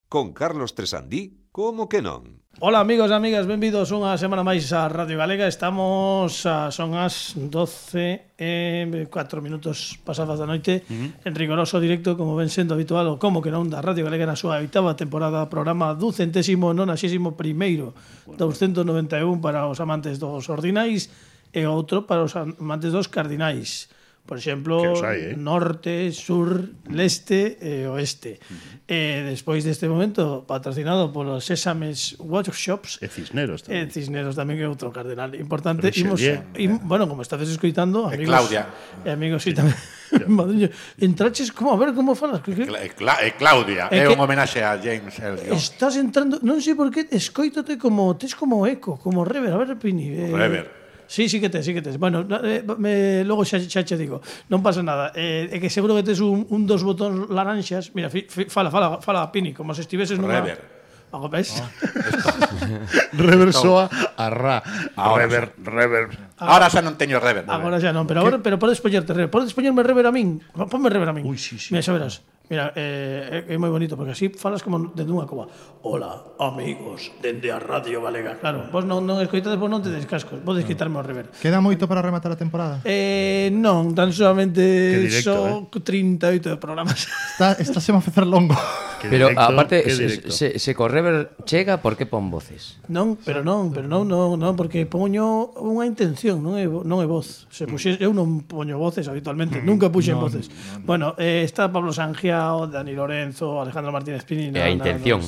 Con Carlos Tresandí, como que non? Ola amigos e amigas, benvidos unha semana máis a Radio Galega. Son as 12 e 4 minutos pasadas da noite en rigoroso directo, como ven sendo habitual, o como que non da Radio Galega na súa 8ª temporada, programa 291º, 291 para os amantes dos ordinais e outro para os amantes dos cardinais. Por exemplo, norte, sur, leste e oeste. Despois deste momento, patrocinado polos Sésames Workshops. E Cisneros tamén. E Cisneros tamén é outro cardenal importante. Bueno, como estades escoitando, amigos... Claudia. E amigos, sí, tamén. Madriño, entraches, como, a ver, como falas? Claudia, é un homenaxe a James Elliot. Estás entrando, non sei por que, escoítote como, tes como eco, como rever, a ver, Pini. Rever. Sí que tes. Bueno, logo xa che digo, non pasa nada. É que seguro que tes un dos botóns laranxas. Mira, fala, Pini, como se estiveses nunha... Rever. Algo ves? Rever soa a ra. Rever. Ahora xa non teño rever. Agora xa non, pero podes poñerte rever. Podes poñerme rever a min. Ponme rever a min. Ui, sí. Mira, xa verás. Mira, é moi bonito, porque así falas como dende unha cova. Hola, amigos, dende a Radio Galega. Claro, vos non escoitades, vos non te descascos. Podes quitarme o rever. Queda moito para rematar a temporada? Non, tan solamente directo, 38 programas. Está se va a facer longo. Pero aparte, se co rever chega, por que pon voces? Non, porque poño unha intención, non é voz. Eu non poño voces habitualmente, nunca puxen voces. Bueno, está Pablo Sangiao, Dani Lorenzo, Alejandro Martínez Pini. E a intención.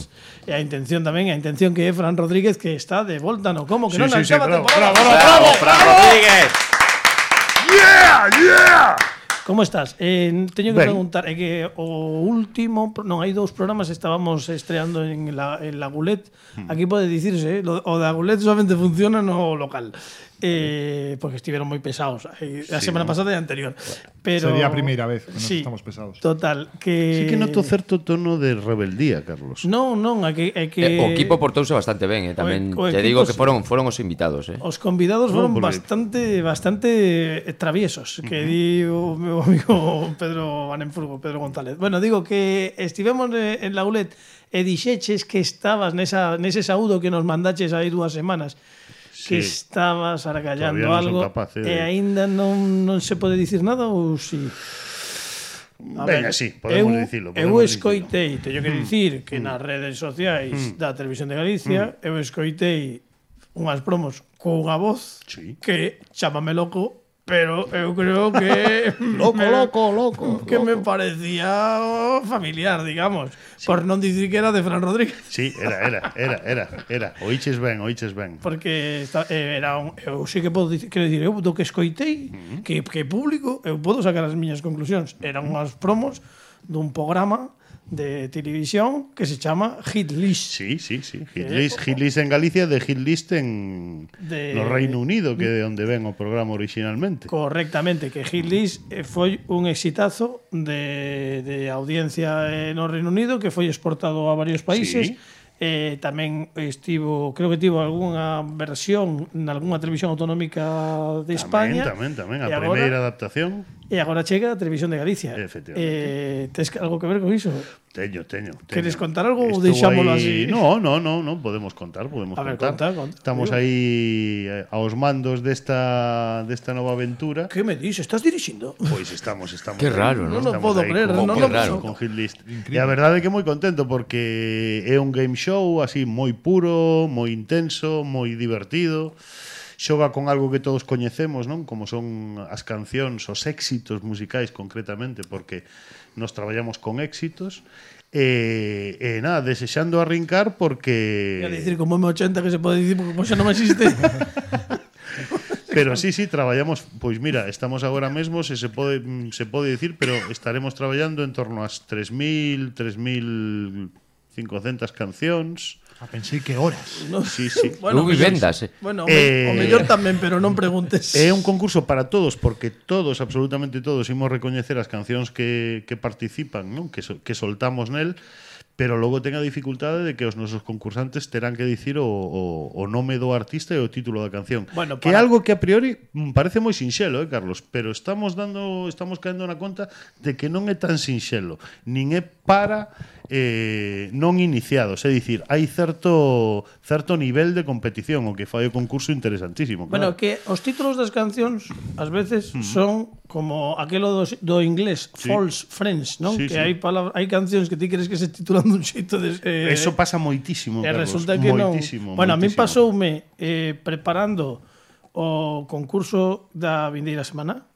E a intención tamén, a intención que é Fran Rodríguez, que está de volta no como, que non acaba temporada. ¡Bravo, Fran Rodríguez! Yeah! Como estás? Teño que preguntar, é que o último, non, hai dous programas, estábamos estreando en la Gulet. Aquí pode dicirse, o da Gulet solamente funciona no local. Porque estiveron moi pesados a semana pasada e anterior. Pero sería a primeira vez que nos estamos pesados. Total, que Sí que noto certo tono de rebeldía, Carlos. Non, é que O equipo portouse bastante ben, tamén te digo que foron os invitados, Os convidados foron bastante traviesos, que di o meu amigo Pedro González. Bueno, digo que estivemos en la Gulet e dixeches que estabas nese saúdo que nos mandaches aí 2 semanas. Que estabas argallando algo e aínda non se pode dicir nada ou si? Venga, sí, podemos dicilo. Eu escoitei, teño que dicir que nas redes sociais da Televisión de Galicia eu escoitei unhas promos cunha voz que chámame loco, pero eu creo que loco. Que me parecía familiar, digamos, por non dicir que era de Fran Rodríguez. Sí, era. Oiches ben. Porque eu sí que podo dicir, quero dicir, eu do que escoitei, que público, eu podo sacar as miñas conclusións. Eran unhas promos dun programa de televisión que se chama Hit List. Sí. Hit List en Galicia, de Hit List no Reino Unido, que é de onde ven o programa originalmente. Correctamente, que Hit List foi un exitazo de audiencia no Reino Unido, que foi exportado a varios países. Tamén creo que tivo algunha versión en algunha televisión autonómica de España. Tamén, a primeira adaptación. E agora chega a Televisión de Galicia. Efectivamente. Tes algo que ver con iso? Teño. Queres contar algo ou deixámolo así? No, podemos contar. A ver, conta. Estamos aí aos mandos desta nova aventura. Que me dices? Estás dirixindo? Pois estamos. Que raro, non o podo creer. Con Hit List. E a verdade é que moi contento porque é un game show así moi puro, moi intenso, moi divertido. Xoga con algo que todos coñecemos, non? Como son as cancións, os éxitos musicais concretamente, porque nos traballamos con éxitos. Nada, desexando arrincar porque... Quer dicir, como M80 que se pode dicir porque xa non existe. Pero sí, traballamos, pois mira, estamos agora mesmo, se pode dicir, pero estaremos traballando en torno ás 3.500 cancións. Pensei que horas. No. Sí. Bueno, vivendas. Bueno, o mellor tamén, pero non preguntes. É un concurso para todos, porque todos, absolutamente todos, imos recoñecer as cancións que participan, non? Que soltamos nel, pero logo ten a dificultade de que os nosos concursantes terán que dicir o nome do artista e o título da canción. Bueno, que é algo que a priori parece moi sinxelo, Carlos, pero estamos caendo na conta de que non é tan sinxelo, nin é para non iniciados, é dicir, hai certo nivel de competición, o que fai o concurso interesantísimo. Bueno, que os títulos das cancións ás veces son como aquelo do inglés, false friends, non? Sí, que sí. hai cancións que ti crees que se titulan dun xeito de Eso pasa moitísimo, e Carlos. resulta que moitísimo, non. Bueno, a mí moitísimo. pasoume preparando o concurso da vindeira semana,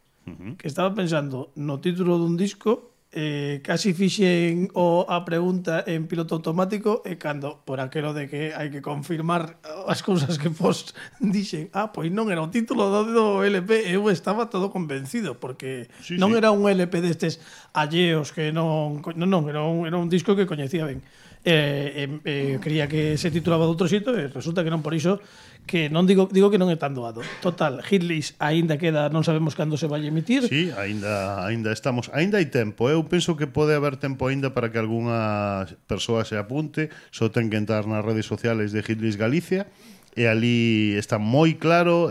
que estaba pensando no título dun disco, casi fixen a pregunta en piloto automático e cando por aquelo de que hai que confirmar as cousas que pos dixen, pois non era o título do LP, eu estaba todo convencido porque non era un LP destes alleos que non, era un disco que coñecía ben. Creía que se titulaba de outro xito e resulta que non, por iso que non digo que non é tan doado. Total, Hitlist aínda queda, non sabemos cando se vai emitir. Sí, aínda estamos, aínda hai tempo. Eu penso que pode haber tempo aínda para que algunha persoa se apunte. Só ten que entrar nas redes sociales de Hitlist Galicia e ali está moi claro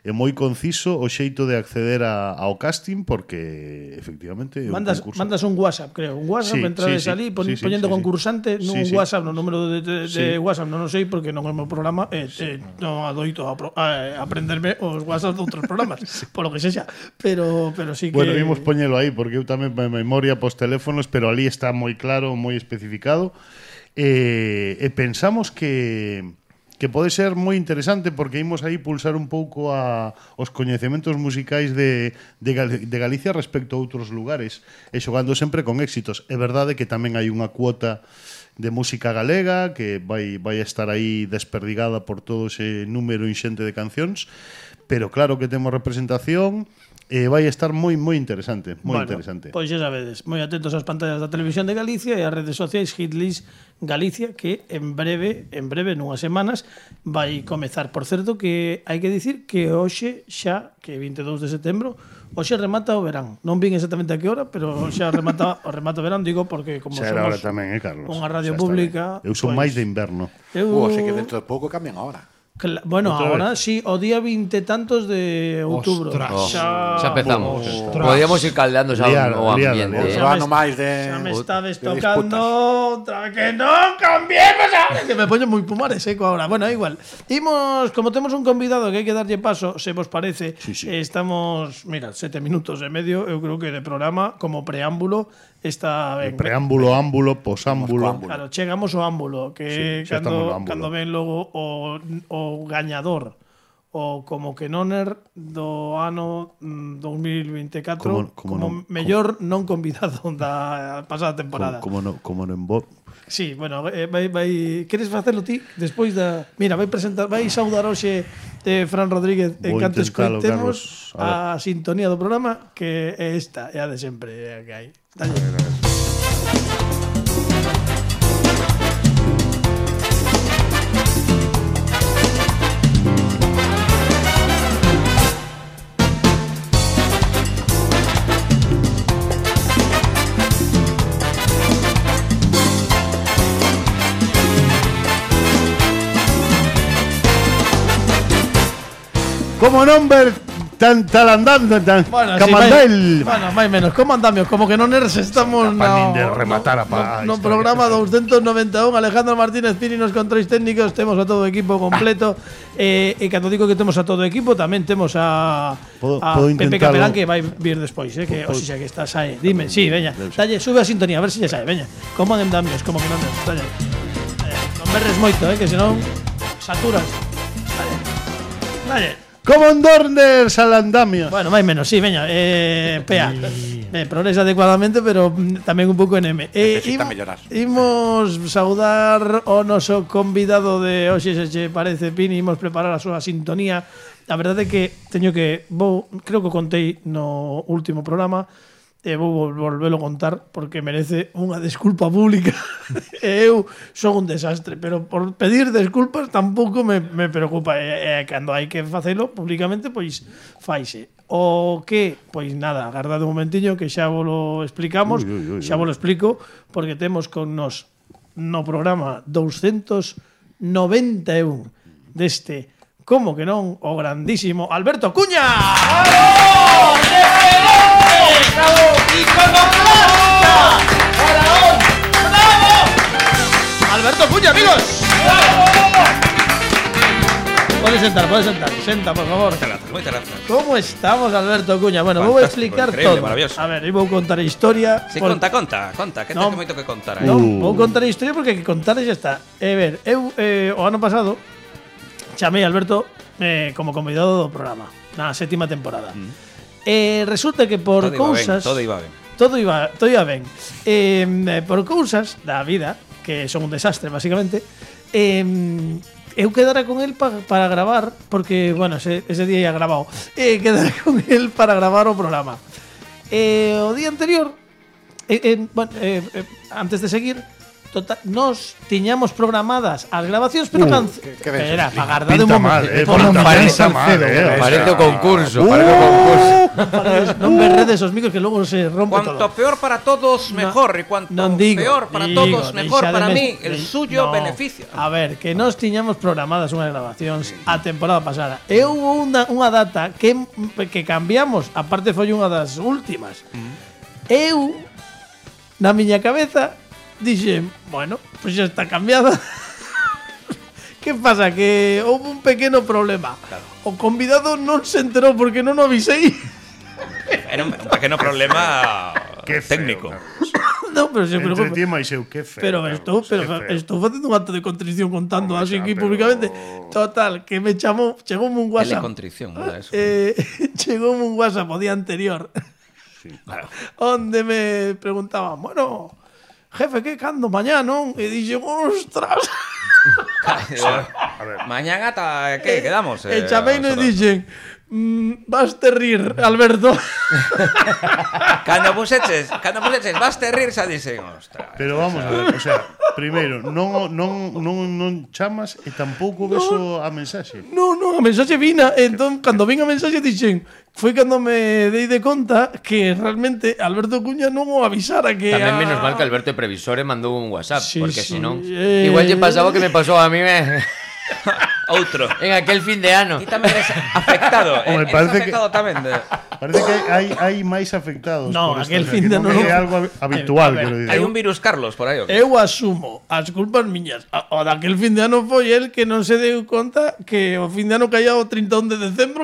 é moi conciso o xeito de acceder ao casting porque efectivamente é un concurso. Mandas un WhatsApp, creo, un WhatsApp, entrades ali poñendo concursante nun WhatsApp, no número de WhatsApp, non o sei porque non é o meu programa, non adoito a aprenderme os WhatsApp de outros programas, polo que sexa, pero sí que Bueno, vimos poñelo aí porque eu tamén me memoria pos teléfonos, pero ali está moi claro, moi especificado. E pensamos que pode ser moi interesante porque imos aí pulsar un pouco os coñecementos musicais de Galicia respecto a outros lugares e xogando sempre con éxitos. É verdade que tamén hai unha cuota de música galega que vai a estar aí desperdigada por todo ese número inxente de cancións, pero claro que temos representación e vai estar moi interesante, interesante. Pois xa sabedes, moi atentos ás pantallas da Televisión de Galicia e ás redes sociais Hitlist Galicia, que en breve, nunhas semanas, vai comezar. Por certo, que hai que dicir que hoxe xa, que é 22 de setembro, hoxe remata o verán. Non vin exactamente a que hora, pero xa remata o verán, digo, porque como xa somos hora tamén, Carlos? unha radio pública... Eu son máis de inverno. Sei que dentro de pouco cambian a hora. Bueno, ahora sí, o día 20 tantos de outubro. Xa empezamos. Podíamos ir caldeando xa o ambiente. Xa me estades tocando outra vez que non cambiemos ahora. Que me poño moi pumares, seco ahora. Bueno, igual. Imos, como temos un convidado que hai que darlle paso, se vos parece, estamos, mira, 7 minutos e medio, eu creo que de programa, como preámbulo, está ben. Preámbulo, ámbulo, posámbulo. Claro, chegamos ao ámbulo, que cando ven logo o gañador o como que noner do ano 2024 como mellor non convidado da pasada temporada. Como non Bob. Sí, bueno, vai queres facelo ti despois da... Mira, vai saudar hoxe Fran Rodríguez en canto escoitemos a sintonía do programa, que é esta, é a de sempre que hai. Dalle. Como non ver tan talandando, tan camandel. Bueno, máis menos, como andamios, como que non eres, estamos no programa 291. Alejandro Martínez Pini nos controis técnicos, temos a todo o equipo completo. E cando digo que temos a todo o equipo, tamén temos a Pepe Capelán, que vai vir despois, que o xa que estás aí. Dime, sí, veña, dalle, sube a sintonía, a ver se xa sabe, veña. Como andamios, como que non eres, dalle. Non berres moito, que senón saturas. Dalle. Como Dorners al andamio. Bueno, máis menos, sí, veña, Pea. Progresa adecuadamente, pero tamén un pouco en M. Necesita mellorar. Imos saudar o noso convidado de hoxe, se che parece, Pini, imos preparar a súa sintonía. A verdade é que creo que contei no último programa, e vou volvelo a contar porque merece unha desculpa pública. Eu son un desastre, pero por pedir desculpas tampouco me preocupa. Cando hai que facelo públicamente, pois faise. O que, pois nada, agardade un momentiño que xa volo explicamos, xa volo explico, porque temos con nos no programa 291 deste, como que non, o grandísimo Alberto Cuña. ¡Bravo! ¡Iconoclasta! ¡Faraón! Senta, por favor. Moitas grazas. ¿Cómo estamos, Alberto Cuña? Bueno, vou explicar increíble, todo. maravilloso. A ver, vou contar a historia. Si, conta, que Non. ten moito que contar. Non, vou contar a historia porque que contar xa está. Ver, eu o ano pasado chamei a Alberto como convidado do programa na 7ª temporada. Resulta que por cousas Todo iba ben. todo iba ben. Por cousas da vida, que son un desastre, basicamente, eu quedara con él para gravar, porque, bueno, ese día ya grabado, quedara con él para gravar o programa. O día anterior, antes de seguir, nos tiñamos programadas as grabacións, pero espera, agardade un momento. Parece o concurso. Non berredes os micros que logo se rompe Cuanto todo. peor para todos, mejor. Y cuanto peor para todos, mejor para mí. El suyo beneficio. A ver, que nós tiñamos programadas unhas grabacións a temporada pasada. E hubo unha data que cambiamos, aparte foi unha das últimas. Eu, na miña cabeza, dixen, bueno, pues xa está cambiada. Que pasa? Que houve un pequeno problema. Claro. O convidado non se enterou porque non o avisei. Era un pequeno problema técnico. No, pero se Entre ti e máis eu, que feo. Pero estou facendo un acto de contrición contando así aquí públicamente. Total, que me chamou, chegoume un WhatsApp. Telecontrición, ¿no? Eso. Chegoume un WhatsApp o día anterior. Claro. Onde me preguntaban, bueno, jefe, que cando mañá, non? E dixen, ostras. A ver. Mañana ¿qué quedamos? E chamei e dixen, vas te rir, Alberto. Cando puseches, vas te rir, xa dixen, ostras. Pero vamos a ver, o sea, primeiro, non chamas e tampouco ves a mensaxe. Non, a mensaxe vina. Entón, cando vin a mensaxe dixen, foi cando me dei de conta que realmente Alberto Cuña non o avisara que Tamén menos mal que Alberto é previsor e mandou un WhatsApp, Sí, porque sí. senón igual lle pasaba o que me pasou a mí Outro. en aquel fin de ano. Ti tamén eres afectado. Home, Eres parece afectado tamén. Parece que hai máis afectados. No, por esta, aquel o sea, fin que de non ano é non. algo habitual, A ver, quero Hai dicir. un virus Carlos por aí. eu asumo as culpas miñas. O daquel fin de ano foi el que non se deu conta que o fin de ano caía o 31 de decembro.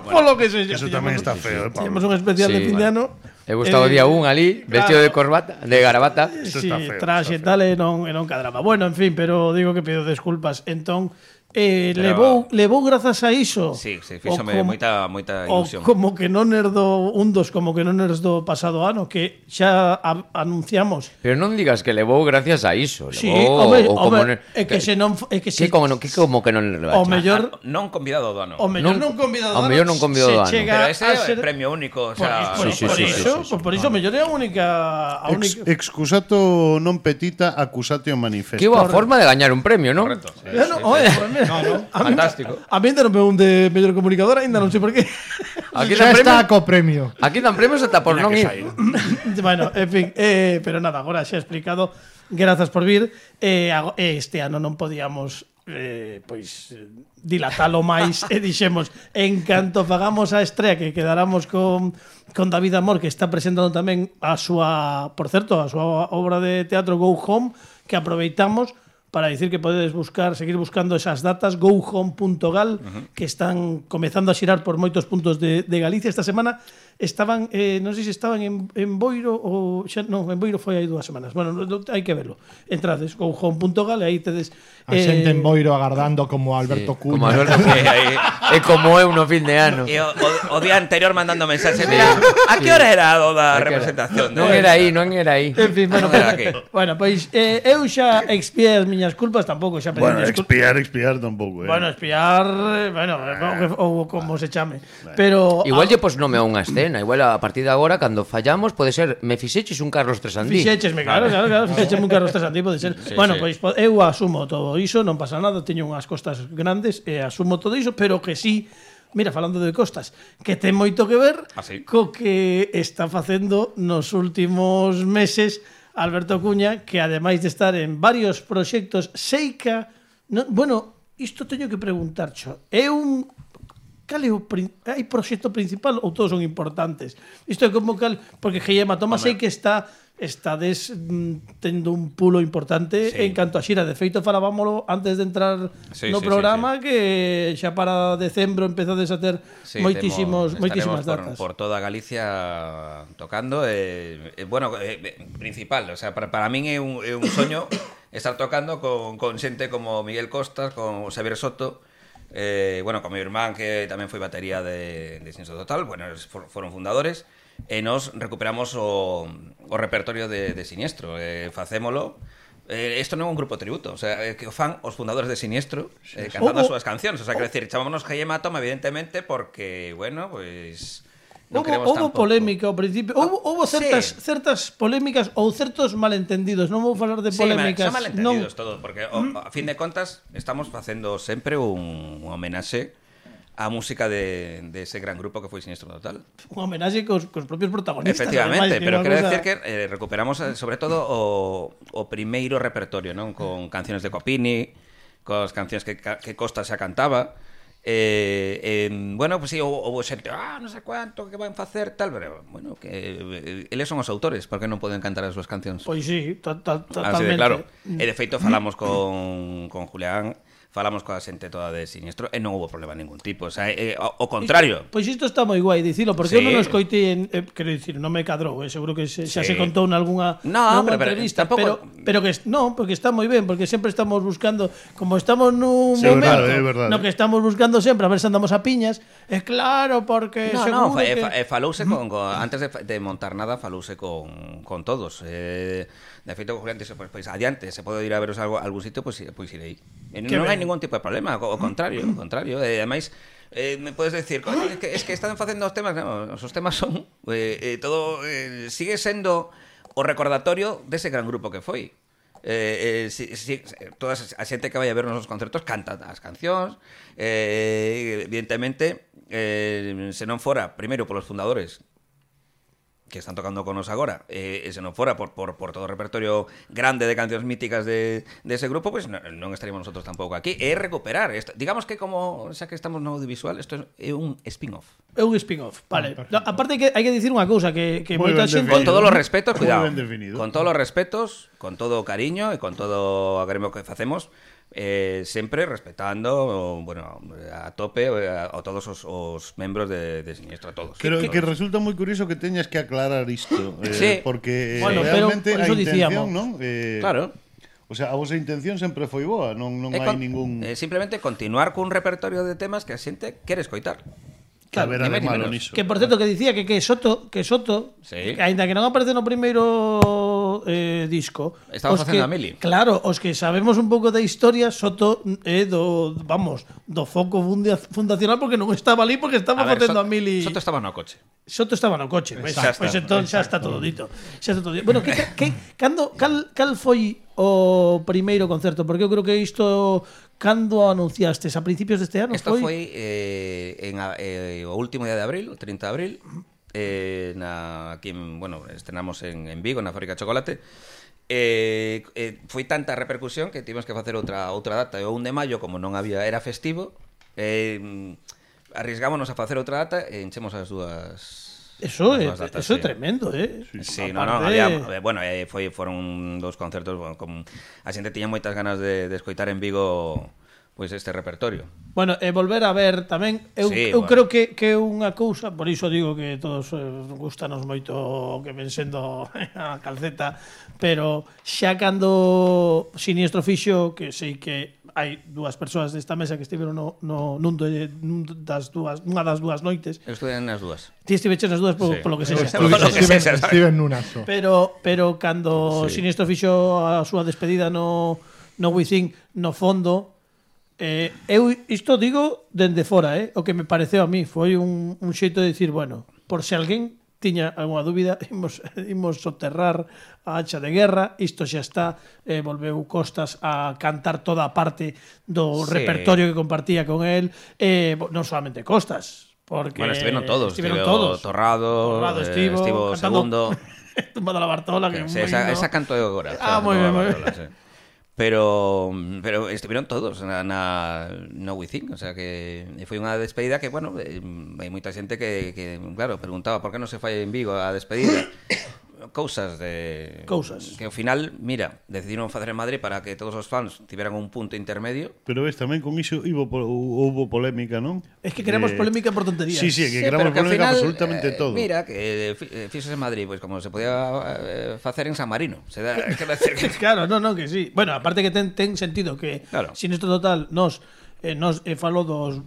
Polo que se Eso tamén está feo, Temos Pablo. un especial Sí, de fin de ano. Eu estaba o día 1 ali, vestido de corbata, de gravata. Isto Sí, está feo, traxe está tal e non cadraba. Bueno, en fin, pero digo que pido desculpas. Entón, levou grazas a iso. Sí, fíxome moita ilusión. O como que non er do como que non er do pasado ano, que xa anunciamos. Pero non digas que levou gracias a iso. Sí, Levou home, é que se non é que se como que non levaste? o mellor Non convidado do ano. o mellor non convidado. ao mellor non convidado do ano. Pero ese é premio único, o sea, por iso mellor é a única Excusato non petita, accusatio manifesto. Que boa forma de gañar un premio, non? correcto. Sí. Fantástico. A mí ainda non me un de mellor comunicador, ainda non sei por qué. Aquí Xa dan está premios, co premio. aquí dan premios ata por non ir. Bueno, en fin, pero nada, agora xa he explicado. Grazas por vir. Este ano non podíamos dilatalo máis e dixemos, en canto fagamos a estrea que quedáramos con David Amor, que está presentando tamén a súa, por certo, a súa obra de teatro Go Home, que aproveitamos para dicir que podedes seguir buscando esas datas, gohome.gal, que están comezando a xirar por moitos puntos de Galicia. Esta semana estaban, non sei se estaban en Boiro ou xa, non, en Boiro foi hai 2 semanas. Bueno, hai que verlo. Entrades gohome.gal e aí tedes A xente en Boiro agardando como Alberto Cuña. Como Alberto é como eu no fin de ano. E o día anterior mandando mensaxes. Mira, a que hora era o da representación? Non era aí. En fin, bueno, bueno, pois eu xa expiei as miñas culpas, tampouco xa pedí Bueno, disculpas. expiar tampouco, Bueno, espiar, ou como se chame. Pero Igual lle pos nome a unha escena. Igual a partir de agora, cando fallamos, pode ser me fixeches un Carlos Tresandí. Fixéchesme, claro, fixéchesme un Carlos Tresandí, pode ser. Bueno, pois eu asumo todo iso, non pasa nada, teño unhas costas grandes e asumo todo iso, pero que sí, mira, falando de costas, que ten moito que ver co que está facendo nos últimos meses Alberto Cuña, que ademais de estar en varios proxectos, seica, bueno, isto teño que preguntar, é un cal é o hai proxecto principal ou todos son importantes? Isto é como cal, porque Guillermo Tomás sei que está estades tendo un pulo importante en canto a xira. De feito, falábamolo antes de entrar no programa que xa para decembro empezades a ter moitísimas datas. Por toda Galicia tocando. Bueno, principal, o sea, para min é un soño estar tocando con xente como Miguel Costas, con Xavier Soto, bueno, con mi irmán que tamén foi batería de Siniestro Total, bueno, foron fundadores. E nos recuperamos o repertorio de Siniestro, facémolo. Isto non é un grupo tributo, o sea, que o fan os fundadores de Siniestro cantando as súas cancións, o sea, quero decir, chamámonos Hematoma evidentemente porque, bueno, pues non queremos tampouco. Houve polémica ao principio, houve certas polémicas ou certos malentendidos, non vou falar de polémicas. Son malentendidos todo, porque a fin de contas estamos facendo sempre un homenaxe a música de ese gran grupo que foi Siniestro Total. Un homenaxe cos propios protagonistas. Efectivamente, pero quero decir que recuperamos sobre todo o primeiro repertorio, non? Con canciones de Copini, cos cancións que Costa xa cantaba. Bueno, pues sí, houve xente, non sei cuánto que van facer tal, pero bueno, que eles son os autores, por que non poden cantar as súas cancións? Pois sí, totalmente. Así de claro. E de feito falamos con Julián, falamos coa xente toda de Siniestro e non houve problema ningún tipo, o sea, o contrario. Pois isto está moi guai dicilo, porque eu non o escoitei quero dicir, non me cadrou, seguro que xa se contou nalgúna entrevista, pero que non, porque está moi ben, porque sempre estamos buscando, como estamos nun momento no que estamos buscando sempre a ver se andamos a piñas, é claro, porque seguro que falouse antes de montar nada, falouse con todos. De feito, Julián dixo, pois adiante, se pode ir a veros algún sitio, pois irei. Non hai ningún tipo de problema, ao contrario. Ademais, me podes decir, es que están facendo os temas, non, os temas son todo, sigue sendo o recordatorio dese gran grupo que foi. Toda a xente que vai a ver nos concertos canta as cancións, evidentemente, se non fora primeiro polos fundadores que están tocando con nos agora, se non fora por todo o repertorio grande de cancións míticas de ese grupo, pues non estaríamos nosotros tampouco aquí. É recuperar esto. Digamos que como xa que estamos no audiovisual, isto é un spin-off. É un spin-off, vale. Aparte que hai que dicir unha cousa, que moita xente... Con todos os respetos, cuidado, con todos os respetos, con todo o cariño e con todo o agremio que facemos, sempre respetando, bueno, a tope a todos os membros de Siniestro, a todos. Creo que resulta moi curioso que teñas que aclarar isto, porque bueno, realmente a intención, non? Claro. O sea, a vosa intención sempre foi boa, non hai ningún... Simplemente continuar cun repertorio de temas que a xente quere escoitar. Claro, que por certo que dicía que Soto, sí, aínda que non aparece no primeiro disco, estaba facendo a Mili. Claro, os que sabemos un pouco da historia, Soto é do foco fundacional, porque non estaba ali, porque estaba facendo a Mili. Soto estaba no coche. Pois entón xa está todo dito. Bueno, cal foi o primeiro concerto? Porque eu creo que isto cando anunciastes? A principios deste ano? Isto foi o último día de abril, o 30 de abril, aquí, bueno, estrenamos en Vigo, na Fábrica de Chocolate. Foi tanta repercusión que tivemos que facer outra data. O 1 de maio, como non había, era festivo, arriesgámonos a facer outra data e enchemos as dúas. Eso é tremendo, Sí, había, bueno, foron dos concertos, bueno, como a xente tiña moitas ganas de escoitar en Vigo pois este repertorio. Bueno, e volver a ver tamén, eu creo que é unha cousa, por iso digo que todos gustanos moito o que ven sendo a calceta, pero xa cando Siniestro fixo, que sei que hai dúas persoas desta mesa que estiveron nunha das dúas noites. Eu estuve nas dúas. Ti estiveches nas dúas polo que sexa. Estive nunha só. Pero cando Siniestro fixo a súa despedida no Within, no fondo, eu isto digo dende fora, o que me pareceu a mí foi un xeito de dicir, bueno, por se alguén tiña algunha dúbida, imos soterrar a hacha de guerra, isto xa está, volveu Costas a cantar toda a parte do repertorio que compartía con él, non solamente Costas, porque... Bueno, estiveron todos. Torrado, estivo segundo... Tumbada la Bartola, que esa canto eu agora. Moi ben. Pero estiveron todos no Within, o sea que foi unha despedida que, bueno, hai moita xente que claro, preguntaba por que non se fai en Vigo a despedida. cousas de... Cousas. Que ao final, mira, decidiron facer en Madrid para que todos os fans tiveran un punto intermedio. Pero ves, tamén con iso houve polémica, non? Es que queremos polémica por tonterías. Sí, que queremos pero que ao polémica final, absolutamente todo. Mira, que fixos en Madrid, pois como se podía facer en San Marino. Se da, quero decir que... Claro, non, que sí. Bueno, aparte que ten sentido que Claro. Sinistro Total nos falo dos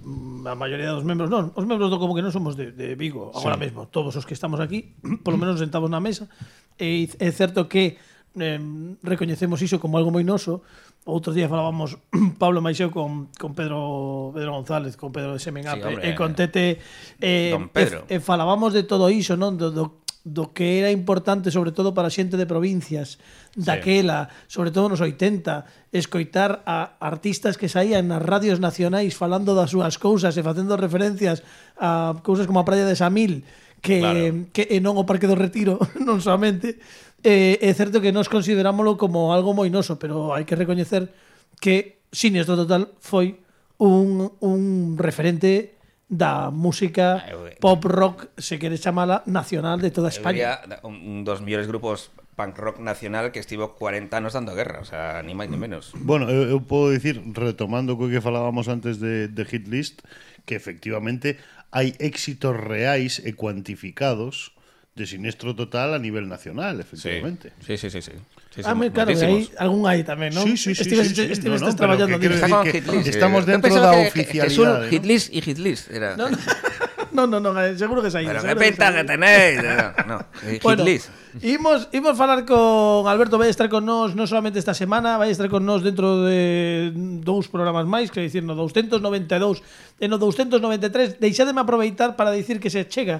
a maioría dos membros, non, os membros do como que non somos de Vigo agora mesmo, todos os que estamos aquí, polo menos sentados na mesa, e é certo que recoñecemos iso como algo moi noso. Outro día falábamos Pablo Maixeu con Pedro González, con Pedro de Semenape, e con Tete Don Pedro. e falábamos de todo iso, non? Do que era importante sobre todo para a xente de provincias daquela, sobre todo nos 80, escoitar a artistas que saían nas radios nacionais falando das súas cousas e facendo referencias a cousas como a Praia de Samil que non o Parque do Retiro non somente. É certo que nos considerámoslo como algo moi noso, pero hai que recoñecer que Sinistro Total foi un referente da música pop rock, se quere chamala, nacional de toda España. Un dos mellores grupos punk rock nacional que estivo 40 anos dando guerra, o sea, ni máis ni menos. Bueno, eu podo dicir, retomando co que falábamos antes de Hit List, que efectivamente hai éxitos reais e cuantificados de Sinistro Total a nivel nacional, efectivamente. Sí. Claro, aí algún hai tamén, non? Sí. Estivestes traballando quero disso. decir que estamos dentro da oficialidade. Hit List era. Non, seguro que saí. Pero que pinta que tenéis. No, Bueno, Hit List. Imos falar con Alberto, vai estar con nós non solamente esta semana, vai estar con nós dentro de 2 programas máis, que dicir, no 292 e no 293. Deixádeme aproveitar para dicir que se chega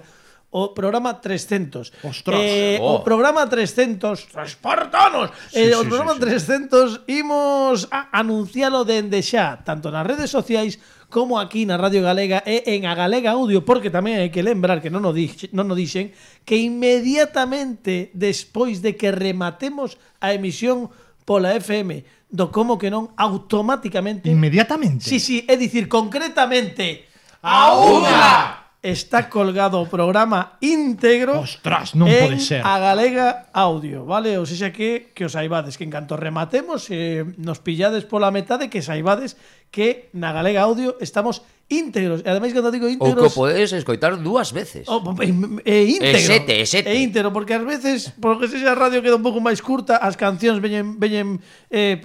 o programa 300. Ostras. O programa 300, espartanos. O programa 300 imos a anuncialo dende xa, tanto nas redes sociais como aquí na Radio Galega e en a Galega Audio, porque tamén hai que lembrar que non o dixen, que inmediatamente despois de que rematemos a emisión pola FM do Como que Non, automáticamente... Inmediatamente? Sí, é dicir, concretamente a unha está colgado o programa íntegro. Ostras, non pode ser. A Galega Audio, vale? Ou seja que os saibades que en canto rematemos nos pillades pola metade, que saibades que na Galega Audio estamos íntegros. E ademais, cando digo íntegros... Ou que podedes escoitar 2 veces. Íntegro. Sete. Íntegro, porque ás veces, porque se a radio queda un pouco máis curta, as cancións veñen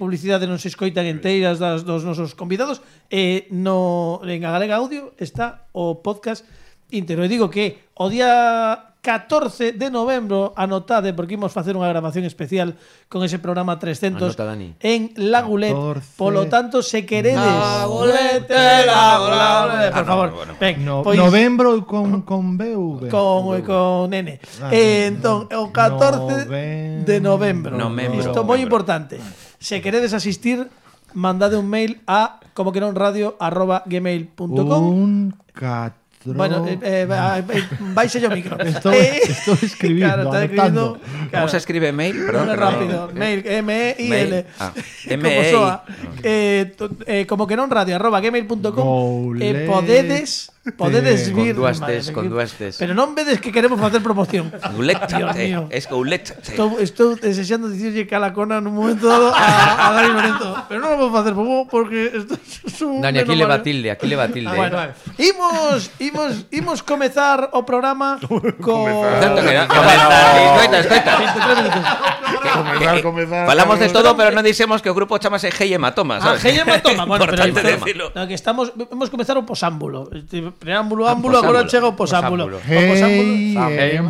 publicidade, non se escoitan enteiras dos nosos convidados, en a Galega Audio está o podcast íntegro. E digo que o día 14 de novembro, anotade, porque imos facer unha grabación especial con ese programa 300 Anota, Dani. en Lagulet. 14. Polo tanto, se queredes Lagulet, por favor, ven, pois, Novembro con BV. con N. Entón, o 14 de novembro. Isto moi importante. Se queredes asistir, mandade un mail a comoquenonradio@gmail.com. Un 4. Bueno, baixe o micro. Estoy escribindo, está escribindo. ¿Cómo se escribe mail? Perdón, rápido. Mail, M-E-I-L. M-E-I. Como que non radio @gmail.com. Podedes vir Con duas tes. pero non vedes que queremos facer promoción. Goulet. Dios mío. Es Goulet. Estou desexando dicirlle calacona nun momento dado a Dani Lorenzo, pero non o vou facer porque isto é un... Dani, aquí le va tilde. Bueno, imos comezar o programa con... Escoita. Falamos de todo, pero non dixemos que o grupo chamase Hey Hematoma, sabes? Hey Hematoma, bueno, pero importante decirlo. No, que hemos comezar o posámbulo. Preámbulo, ámbulo, agora chega o posámbulo. Hey,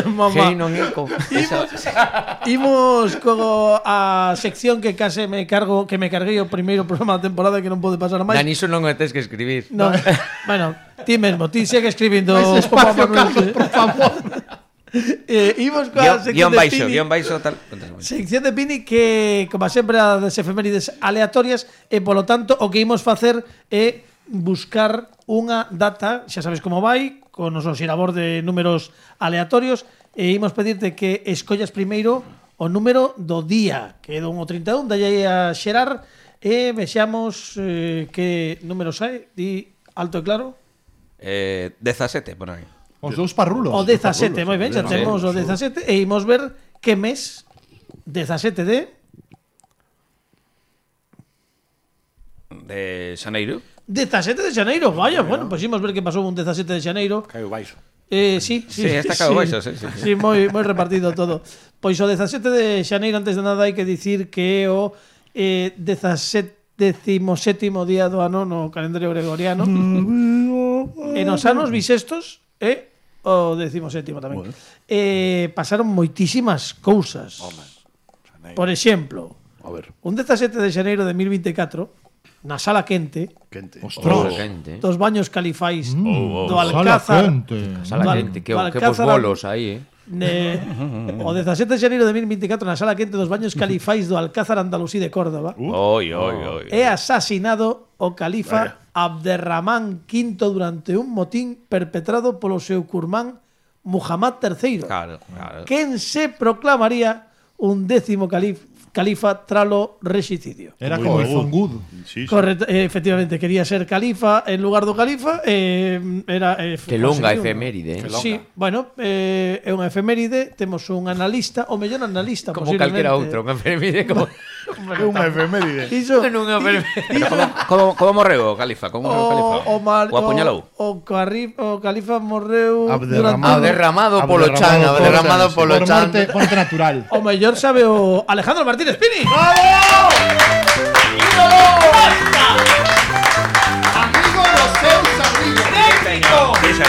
Mamá. non é Imos co a sección que case me carguei o primeiro programa da temporada que non pode pasar máis. Dani, iso non o tes que escribir. No, bueno, ti mesmo, ti segue escribindo espacio, Carlos, por favor. Imos coa sección de Pini. Guión baixo, tal. Sección de Pini que, como sempre, as efemérides aleatorias e, polo tanto, o que imos facer é buscar unha data, xa sabes como vai, con o noso xirabor de números aleatorios, e imos pedirte que escollas primeiro o número do día, que é do 31, dalle a xerar, e vexamos que número sai, di alto e claro. 17, por aí. Os dous parrulos. O 17, moi ben, xa Sí, temos o 17 e imos ver que mes 17 De Xaneiro. 17 de xaneiro, vaya, bueno, pois imos ver que pasou un 17 de xaneiro. Caio baixo. Sí, Sí, está cabo baixo, sí. Sí, moi repartido todo. Pois o 17 de xaneiro, antes de nada, hai que dicir que é o 17º día do ano no calendario gregoriano. E nos anos bisestos é o 17º tamén. Pasaron moitísimas cousas. Por exemplo, A ver, un 17 de xaneiro de 2024, na sala quente, Ostras. dos baños califais do Sala Alcázar, quente. Sala Do quente, que do bons Alcázar bolos aí, o 17 de xaneiro de 2024 na sala quente dos baños califais do Alcázar Andalusí de Córdoba Oi. é asasinado o califa Abderramán V durante un motín perpetrado polo seu curmán Muhammad III, Claro. quen se proclamaría un 10º califa tralo rexicidio. Era como el Zongud. sí, sí. Correcto, efectivamente, quería ser califa en lugar do califa, era Que longa conseguiu, efeméride, Sí, bueno, é unha efeméride, temos un analista, o mellor analista Como posiblemente. calquera outro, unha efeméride como É unha efeméride. Iso, unha efeméride. Como morreu o califa? Como morreu o califa? O apuñalou? O califa morreu Derramado polo chan, derramado polo Por chan. muerte natural. O mellor sabe o Alejandro Martínez Pini.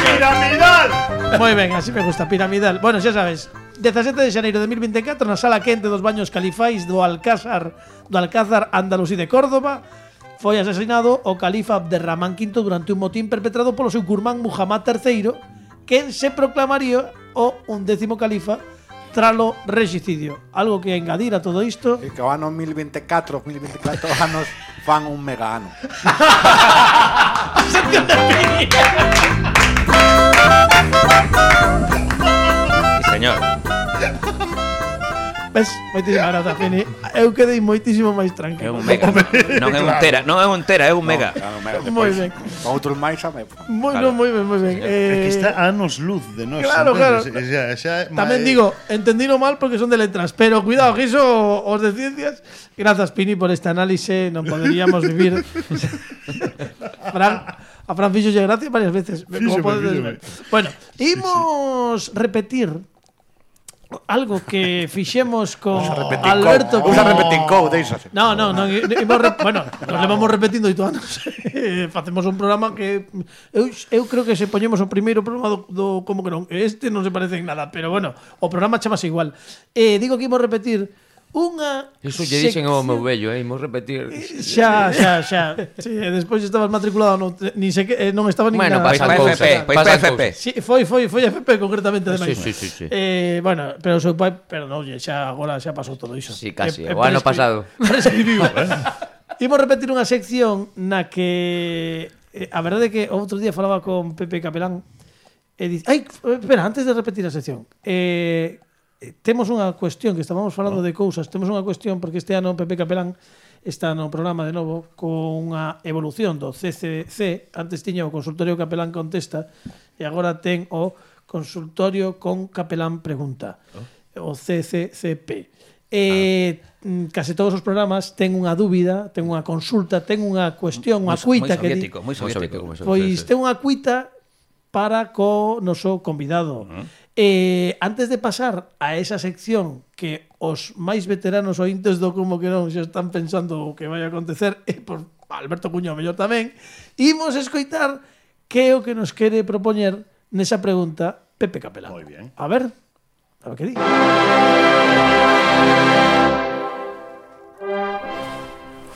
¡Piramidal! Moi ben, así me gusta, piramidal. Bueno, xa sabes, 17 de xaneiro de 2024 na sala quente dos baños califais do Alcázar Andalusí de Córdoba foi asesinado o califa Abderramán V durante un motín perpetrado polo seu curmán Muhammad III, quen se proclamaría o 11º califa tralo rexicidio. Algo que engadir a todo isto. E que o ano 2024 anos fan un mega ano. Sí, señor. Ves, moitísimas grazas, Pini. Eu quedei moitísimo máis É tranquilo. un mega. Non é un tera, non é un tera, é un mega. Moi ben. Con outros máis a me. Moi Claro. ben. É que está a anos luz de nós. Claro, entendes? Xa, Tamén digo, entendino mal porque son de letras, pero cuidado, que iso os de ciencias. Grazas, Pini, por este análise. Non poderíamos vivir. A Fran fixolle gracia varias veces. Como podedes ver. Bueno, imos repetir algo que fixemos con Alberto. Usa repetincou, deixase. No, bueno, nos levamos repetindo 8 anos. Facemos un programa que eu creo que se poñemos o primeiro programa do como que non. Este non se parece en nada, pero bueno, o programa chamase igual. Digo que imos repetir unha Iso lle dixen ao meu vello, imos repetir. Xa. Sí, despois estabas matriculado nin sei que non estaba nin Bueno, nada. pasan Pois cousas. FP. Pasan cousas. Sí, foi FP concretamente ademais. Sí. Bueno, pero o seu pai, pero non, xa agora xa pasou todo iso. Sí, casi, o ano pasado. Prescribiu. Imos repetir unha sección na que a verdade é que outro día falaba con Pepe Capelán e dice, espera, antes de repetir a sección. Temos unha cuestión que estábamos falando de cousas, temos unha cuestión porque este ano Pepe Capelán está no programa de novo con unha evolución do CCC. Antes tiña o consultorio Capelán Contesta e agora ten o consultorio con Capelán Pregunta, o CCCP. Case todos os programas ten unha dúbida, ten unha consulta, ten unha cuestión, unha cuita que di, Moi soviético. pois ten unha cuita para co noso convidado. Antes de pasar a esa sección que os máis veteranos ointes do Como que non xa están pensando o que vai a acontecer, e por Alberto Cuño mellor tamén, imos escoitar que é o que nos quere propoñer nesa pregunta Pepe Capelán. Moi bien. A ver que di.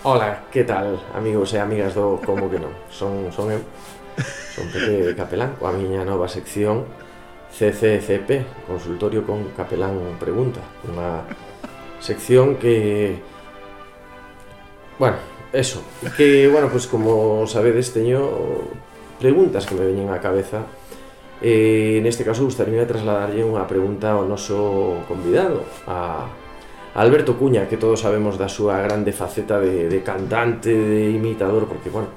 Hola, que tal, amigos e amigas do Como que non? Son eu, son Pepe Capelán, coa miña nova sección CCCP, Consultorio con Capelán Pregunta. Unha sección que... Bueno, eso, que, bueno, pues como sabedes, teño preguntas que me veñen á cabeza. Neste caso, gustaría trasladarlle unha pregunta ao noso convidado, a Alberto Cuña, que todos sabemos da súa grande faceta de cantante, de imitador, porque, bueno,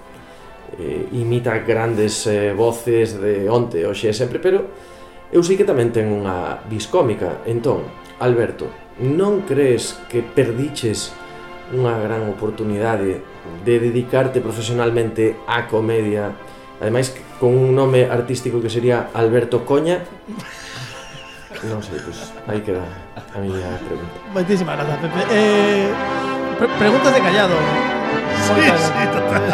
imita grandes voces de onte, hoxe e sempre, pero eu sei que tamén ten unha vis cómica. Entón, Alberto, non crees que perdiches unha gran oportunidade de dedicarte profesionalmente á comedia, ademais con un nome artístico que sería Alberto Coña? Non sei, pois aí queda a miña pregunta. Moitísimas grazas, Pepe. Preguntas de callado. Sí, total.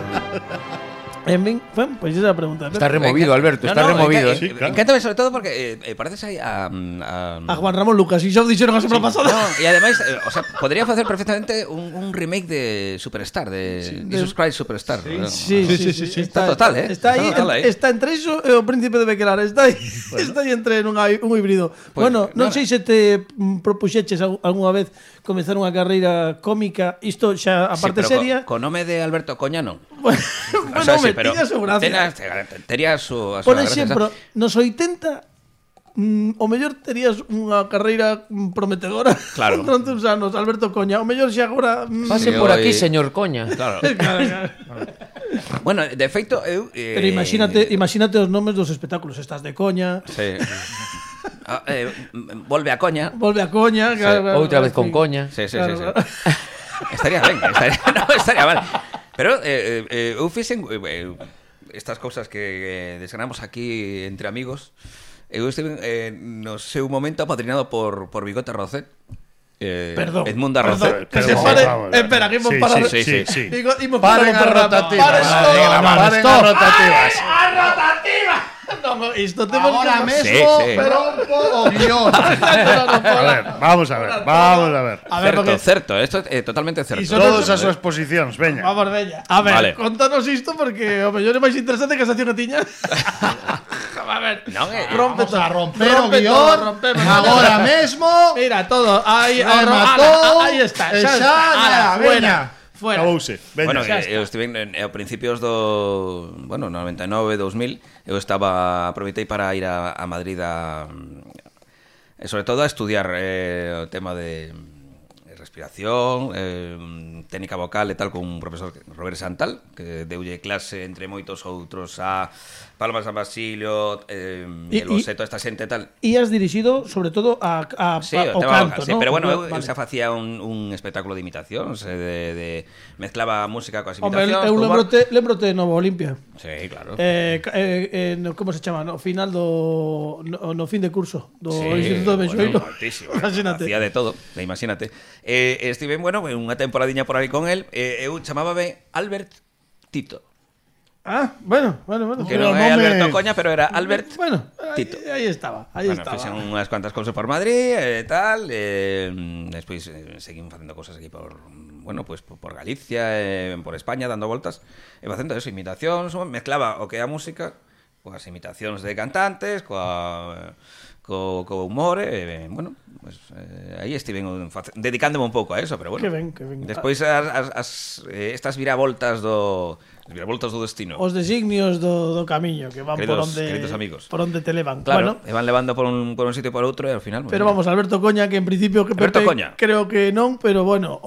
Bueno, pues esa es la pregunta. Está removido, Alberto, está removido. Sí, claro. Encántame sobre todo porque pareces aí a Juan Ramón Lucas, y xa o dixeron a semana pasada. No, e ademais, o sea, podría facer perfectamente un remake de Superstar, de Jesus Christ Superstar. Sí. Está total, Está aí. Está entre iso e o Príncipe de Bequelar. Está aí entre un híbrido. Pues, bueno, non sei se te propuxeches algunha vez comezar unha carreira cómica, isto xa a parte seria. Con nome de Alberto Coña non. Bueno, o sea, sí, pero tiña su gracia. Tería a súa por gracia. exemplo, nos 80 o mellor terías unha carreira prometedora. Claro. Durante uns anos, Alberto Coña. O mellor xa agora pase por aquí, señor Coña. Claro. Bueno, de feito eu pero imagínate os nomes dos espectáculos, estás de Coña. Sí. Volve a Coña. Volve a Coña, sí. Claro, outra vez con Coña. Sí. Estaría ben, estaría mal. Pero eu fixen estas cousas que desgranamos aquí entre amigos. Eu estive no seu momento apadrinado por Bigote Rocet. Perdón. Edmunda Rocet. Que se pare. Espera, que imos parar. Sí. Paren a rotativas. Paren a rotativas. No, isto temos ahora que... mesmo rompo o guión. Vamos a ver. Certo, esto é totalmente certo. Todas as súas posicións, veña. Vamos, veña. A ver, vale. Contanos isto porque o mellor é máis interesante que a sección que tiña. A ver, non, vamos a romper o guión agora mesmo. Mira, todo, aí está. Xa, veña. Fuera. Acabouse. Bueno, eu estive a principios do, 99, 2000, eu aproveitei para ir a Madrid sobre todo a estudiar o tema de respiración, técnica vocal e tal con un profesor, Robert Santal, que deulle clase entre moitos outros a Palma San Basilio, el Boseto, esta xente e tal. E has dirixido sobre todo ao canto, sí, ¿no? pero bueno, eu xa facía un espectáculo de imitacións, mezclaba música coas imitacións. Eu lembrote de Nova Olimpia. Sí, claro. Como se chama? No final no fin de curso do sí, Instituto de Benxoeiro. Hacía de todo, imagínate. Estive, unha temporadiña por aí con él. Eu chamábame Albert Tito. Bueno. Que non é Alberto Coña, pero era Albert Tito. Aí estaba. Fixen unhas cuantas cousas por Madrid e tal. Despois seguimos facendo cousas aquí por Galicia, por España, dando voltas. E facendo eso, imitacións, mezclaba o que é a música coas imitacións de cantantes, co humor, aí estiven dedicándome un pouco a eso, pero bueno. Que ben. Despois estas viravoltas do destino. Os designios do camiño que van queridos amigos. Por onde te levan. Claro, e van levando por un sitio e por outro e ao final. Pero vamos, Alberto Coña, que en principio que Pepe, creo que non, pero bueno,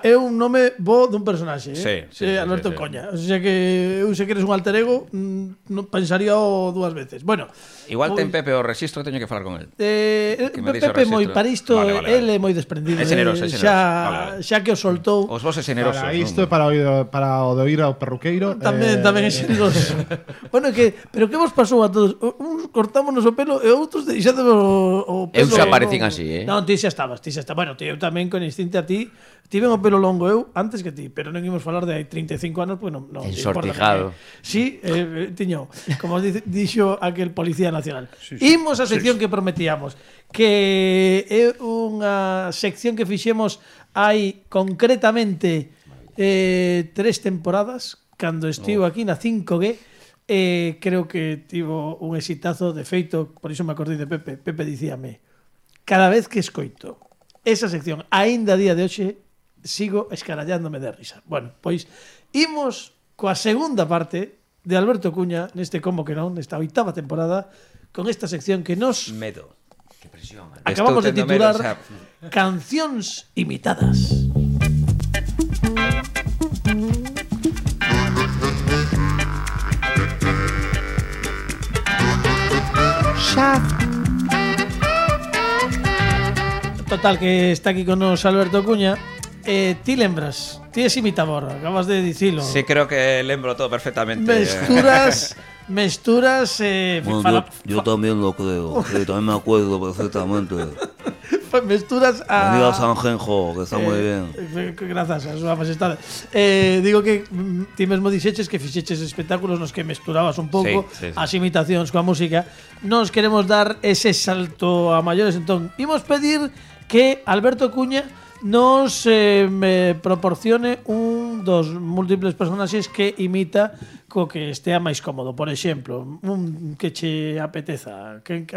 é un nome bo dun personaxe, Sí, Alberto Coña. O sea que eu se queres un alter ego, non pensaría dúas veces. Bueno, igual ten Pepe o rexistro, teño que falar con el. Pepe moi para isto, ele é moi desprendido. É generoso. Xa que o soltou. Os voses generosos. Para isto, para o de oír ao perruqueiro. Tamén é xeneroso. Bueno, pero que vos pasou a todos? Uns cortámonos o pelo e outros deixámonos o pelo. Eu xa parecín así, Non, ti xa estabas. Bueno, eu tamén con instinto a ti. Tiven o pelo longo eu antes que ti, pero non imos falar de 35 anos, pues non. Ensortijado. Sí, tiño, como dixo aquel Policía Nacional. Imos a sección que prometíamos, que é unha sección que fixemos hai concretamente 3 temporadas, cando estivo aquí na 5G. Creo que tivo un exitazo, de feito, por iso me acordei de Pepe. Pepe dicíame, cada vez que escoito esa sección, aínda a día de hoxe, sigo escarallándome de risa. Bueno, pois imos coa segunda parte de Alberto Cuña neste Como que non, nesta 8ª temporada, con esta sección que nos medo. Que presión. Acabamos de titular Cancións imitadas. Total, que está aquí con nos Alberto Cuña. Ti lembras, ti es imitador, acabas de dicilo. Sí, creo que lembro todo perfectamente. Mesturas. Bueno, yo también lo creo. Sí, también me acuerdo perfectamente. Mesturas a. Venida a Sanjenjo, que está muy bien. Grazas a súa majestade. Digo que ti mesmo dixeches que fixeches espectáculos nos que mesturabas un pouco as imitacións coa música. Nos queremos dar ese salto a maiores. Entón, imos pedir que Alberto Cuña nos me proporcione un dos múltiples personaxes que imita co que estea máis cómodo. Por exemplo, un que che apeteza. Con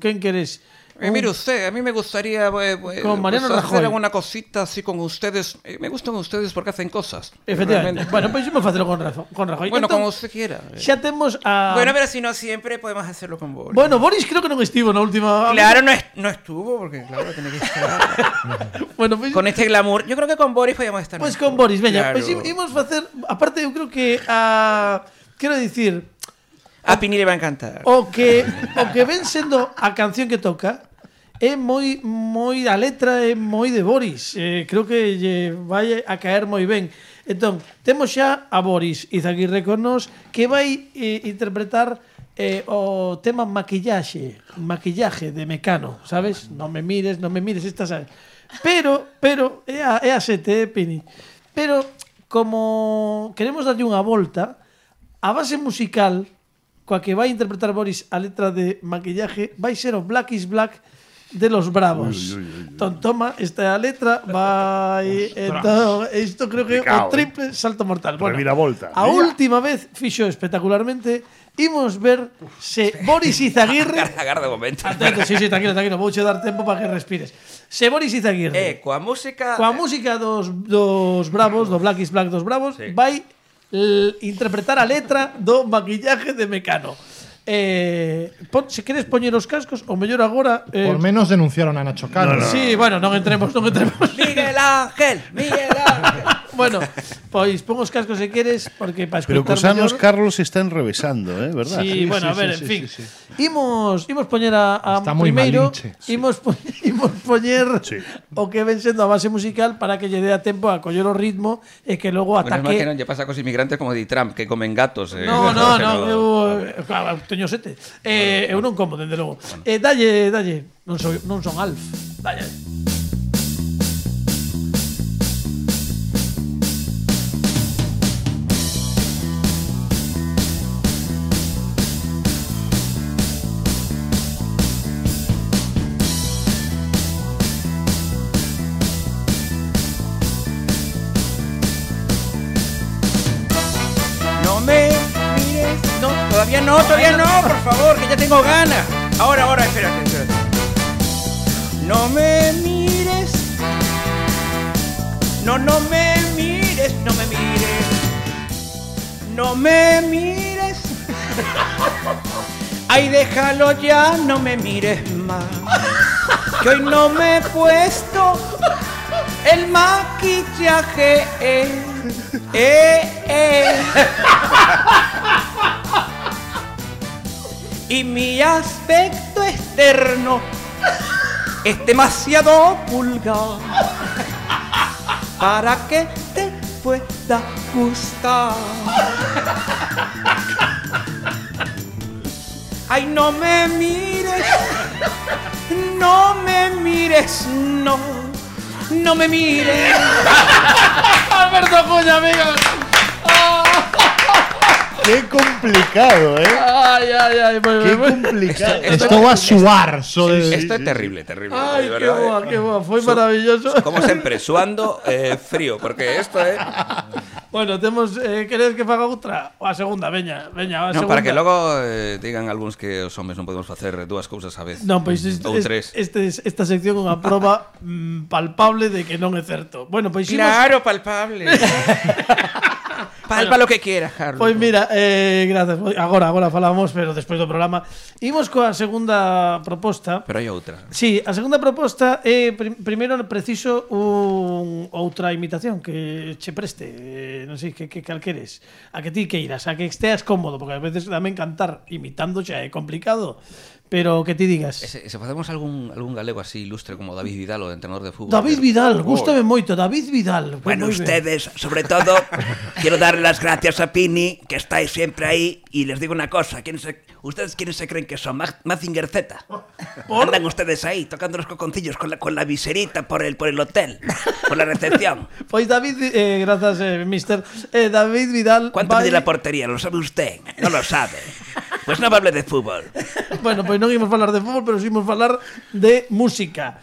quen queres? Mire usted, a mí me gustaría con Mariano Rajoy hacer alguna cosita así con ustedes. Me gustan ustedes porque hacen cosas. Efectivamente. Bueno, pues vamos a hacerlo con Rajoy. Bueno, como usted quiera. Ya tenemos a... Bueno, pero si no siempre podemos hacerlo con Boris. Bueno, Boris creo que no estuvo en la última... Claro, no estuvo, porque claro, tiene que estar... Bueno, pues... Con este glamour. Yo creo que con Boris podíamos estar... Pues con Boris, veña. Claro. Pues íbamos a hacer... Aparte, yo creo que a... Quero dicir... A Pini le va a encantar. O que ven sendo a canción que toca... É moi a letra é moi de Boris. Creo que lle vai a caer moi ben. Entón, temos xa a Boris Izaguirre con nos que vai interpretar o tema maquillaje de Mecano, sabes? Non me mires, estas sabes. Pero é a sete, Pini. Pero como queremos darlle unha volta, a base musical coa que vai interpretar Boris a letra de maquillaje vai ser o Black is Black de los Bravos. Toma, esta letra vai... Entón, isto creo que é o triple salto mortal. Bueno, a última vez fixo espectacularmente. Imos ver se Boris Izaguirre... Agarda un momento. Atento, sí, tranquilo. Vouche dar tempo para que respires. Se Boris Izaguirre... Coa música dos Bravos, do Black is Black dos Bravos, vai interpretar a letra do maquillaje de Mecano. Se queres poñer os cascos, o mellor agora por menos denunciaron a Nacho Cano. Sí, bueno, non entremos. Miguel Ángel. Bueno, pois pon os cascos se queres, porque para escutar. Pero cos anos Carlos está enrevesando, verdad? Sí, bueno, a ver, en fin. Imos poñer a primeiro, imos poñer o que ven sendo a base musical para que lle dé a tempo a coller o ritmo e que logo ataque. Bueno, que non lle pasa cos inmigrantes como di Trump, que comen gatos. No, eu teño 7. Eu non como, dende logo. Dalle. Non son Alf. Dalle. Todavía no, por favor, que ya tengo ganas. Ahora, espérate. No me mires. No me mires. No me mires. Ay, déjalo ya, no me mires más. Que hoy no me he puesto el maquillaje. Y mi aspecto externo es demasiado vulgar para que te pueda gustar. Ay, no me mires, no me mires. Alberto Cuña, amigos. Qué complicado, Ay, qué complicado. Esto va a suar. Esto é terrible. Ay, qué boa, foi maravilloso. Como sempre, suando frío, porque esto é... Bueno, temos... queres que faga outra? O a segunda, veña, a segunda. Para que logo digan algúns que os homes non podemos facer dúas cousas a vez. Non, pois ou tres. Esta sección é unha proba palpable de que non é certo. Bueno, pois claro, palpable. Palpa lo que quieras, Carlos. Pois mira, gracias. Agora falamos, pero despois do programa. Imos coa segunda proposta. Pero hai outra. Sí, a segunda proposta é primeiro preciso outra imitación que che preste. Non sei que calqueres. A que ti queiras, a que esteas cómodo, porque a veces tamén cantar imitando xa é complicado. pero que ti digas. Se facemos algún galego así ilustre como David Vidal, o entrenador de fútbol. David Vidal, gústame moito, David Vidal. Bueno, ustedes, sobre todo, quiero darle las gracias a Pini, que estáis siempre ahí, y les digo una cosa, ¿ustedes quiénes se creen que son? Mazinger Z. Andan ustedes ahí, tocando los coconcillos con la viserita por el hotel, por la recepción. Pois David, grazas, mister, David Vidal... ¿Cuánto mide la portería? ¿Lo sabe usted? No lo sabe. Pues no hable de fútbol. Bueno, pois non imos falar de fútbol, pero sí imos falar de música.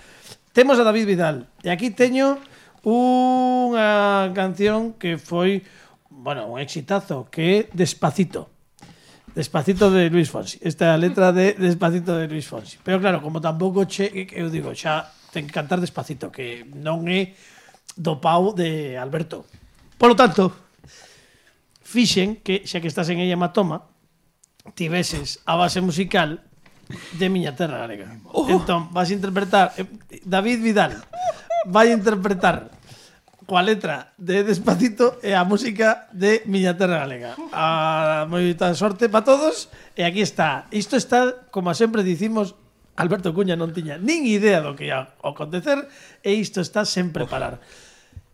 Temos a David Vidal, e aquí teño unha canción que foi, bueno, un exitazo, que é Despacito. Despacito de Luis Fonsi. Esta é a letra de Despacito de Luis Fonsi. Pero claro, como tampouco eu digo, xa ten que cantar Despacito, que non é do pau de Alberto. Por lo tanto, fixen que, xa que estás en ella Matoma, tiveses a base musical de Miña Terra Galega. Entón, vas a interpretar David Vidal vai interpretar coa letra de Despacito e a música de Miña Terra Galega. Moita sorte para todos. E aquí está. Isto está, como sempre dicimos, Alberto Cuña non tiña nin idea do que ia acontecer, e isto está sen preparar.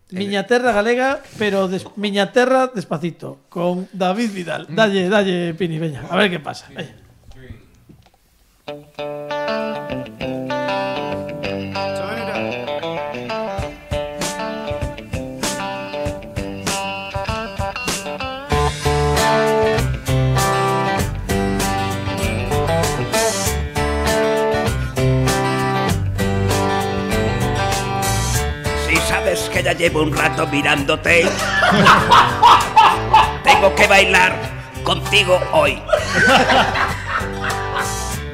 Miña Terra Galega, pero Miña Terra Despacito, con David Vidal. Dalle, Pini, veña, a ver que pasa. Veña. Que ya llevo un rato mirándote. Tengo que bailar contigo hoy.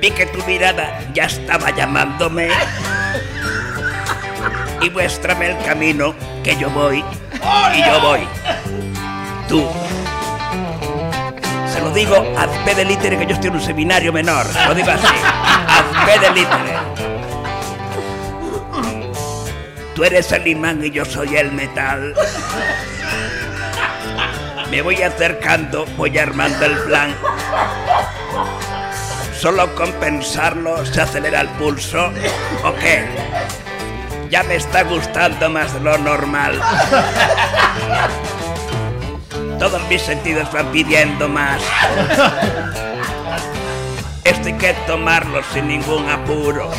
Vi que tu mirada ya estaba llamándome. Y muéstrame el camino que yo voy. Y yo voy. Tú. Se lo digo a fe de litere, que yo estoy en un seminario menor. Lo digo así. A fe de litere. Tú eres el imán y yo soy el metal. Me voy acercando, voy armando el plan. Solo con pensarlo se acelera el pulso. ¿O qué? Ya me está gustando más de lo normal. Todos mis sentidos van pidiendo más. Esto hay que tomarlo sin ningún apuro.